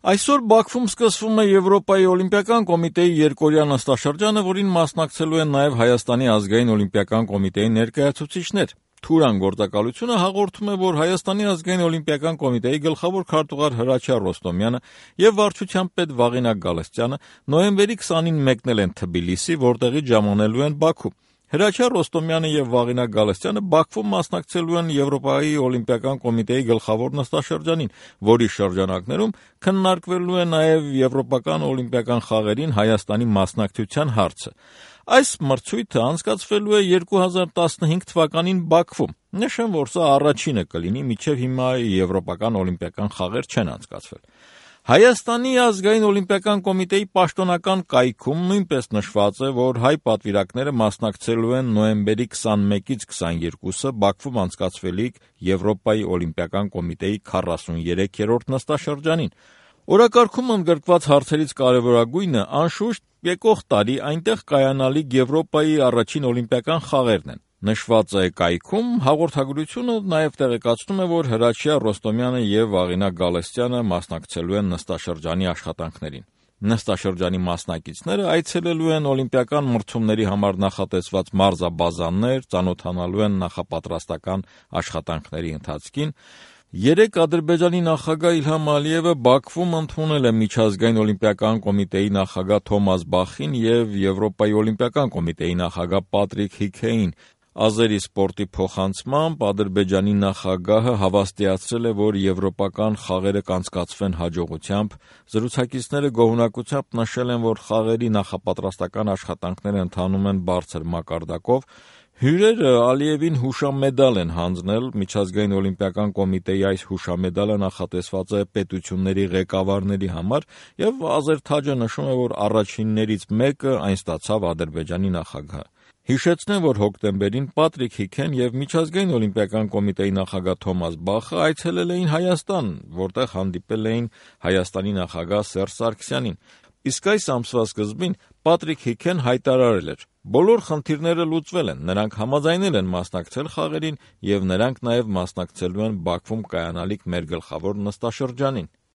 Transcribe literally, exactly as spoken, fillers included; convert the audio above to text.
Այսօր Բաքվում սկսվում է Եվրոպայի օլիմպիական կոմիտեի երկօրյա նստաշրջանը, որին մասնակցելու են նաև Հայաստանի ազգային օլիմպիական կոմիտեի ներկայացուցիչներ։ Թուրան գործակալությունը հաղորդում է, որ Հայաստանի ազգային օլիմպիական կոմիտեի գլխավոր քարտուղար Հրաչյա Ռոստոմյանը եւ վարչության պետ Վաղինակ Գալստյանը նոյեմբերի քսանին մեկնել են Թբիլիսի, որտեղից ժամանելու են Բաքու։ Հրաչյա Ռոստոմյանը եւ Վաղինակ Գալստյանը Բաքվում մասնակցելու են Եվրոպայի օլիմպիական կոմիտեի գլխավոր նստաշրջանին, որի շրջանակներում քննարկվելու է նաեւ Եվրոպական օլիմպիական խաղերին Հայաստանի մասնակցության հարցը։ Այս մրցույթը անցկացվելու է երկու հազար տասնհինգ թվականին Բաքվում։ Նշեմ, որ սա առաջինը կլինի, մինչև հիմա Եվրոպական օլիմպիական խաղեր չեն անցկացվել։ Հայաստանի ազգային օլիմպիական կոմիտեի պաշտոնական կայքում նույնպես նշված է, որ հայ պատվիրակները մասնակցելու են նոյեմբերի քսանմեկից քսաներկուսը Բաքվում անցկացվելիք Եվրոպայի օլիմպիական կոմիտեի քառասուներեքերորդ նստաշրջանին։ Օրակարգում ընդգրկված հարցերից կարևորագույնը, անշուշտ, եկող տարի այնտեղ կայանալիք Եվրոպայի առաջին օլիմպիական խաղերն են։ Նշված է կայքում, հաղորդագրությունը նաև տեղեկացնում է, որ Հրաչյա Ռոստոմյանը եւ Վաղինակ Գալստյանը մասնակցելու են նստաշրջանի աշխատանքներին։ Նստաշրջանի մասնակիցները այցելելու են օլիմպիական մրցումների համար նախատեսված մարզաբազաներ, ծանոթանալու են նախապատրաստական աշխատանքների ընթացքին։ Երեկ Ադրբեջանի նախագահ Իլհամ Ալիևը Բաքվում ընդունել է միջազգային օլիմպիական կոմիտեի նախագահ Թոմաս Բախին եւ Եվրոպայի օլիմպիական կոմիտեի նախագահ Պատրիկ Հիքեին։ Ազերի սպորտի փոխանցմամբ Ադրբեջանի նախագահը հավաստիացրել է, որ եվրոպական խաղերը կանցկացվեն հաջողությամբ։ Զրուցակիցները գոհունակությամբ նշել են, որ խաղերի նախապատրաստական աշխատանքները ընթանում են բարձր մակարդակով։ Հյուրերը Ալիևին հուշամեդալ են հանձնել։ Միջազգային օլիմպիական կոմիտեի այս հուշամեդալը նախատեսված է պետությունների ղեկավարների համար, եւ Ազեր Թաջը նշում է, որ առաջիններից մեկը այն ստացավ Ադրբեջանի նախագահը։ Հիշեցնեմ, որ հոկտեմբերին Պատրիկ Հիքեն եւ Միջազգային օլիմպիական կոմիտեի նախագահ Թոմաս Բախը այցելել էին Հայաստան, որտեղ հանդիպել էին Հայաստանի նախագահ Սերժ Սարգսյանին։ Իսկ այս ամսվա սկզբին Պատրիկ Հիքեն հայտարարել էր. «Բոլոր խնդիրները լուծվել են, նրանք համաձայնել են մասնակցել խաղերին եւ նրանք նաեւ մասնակցելու են Բաքվում կայանալիք մեր գլխավոր նստաշրջանին»։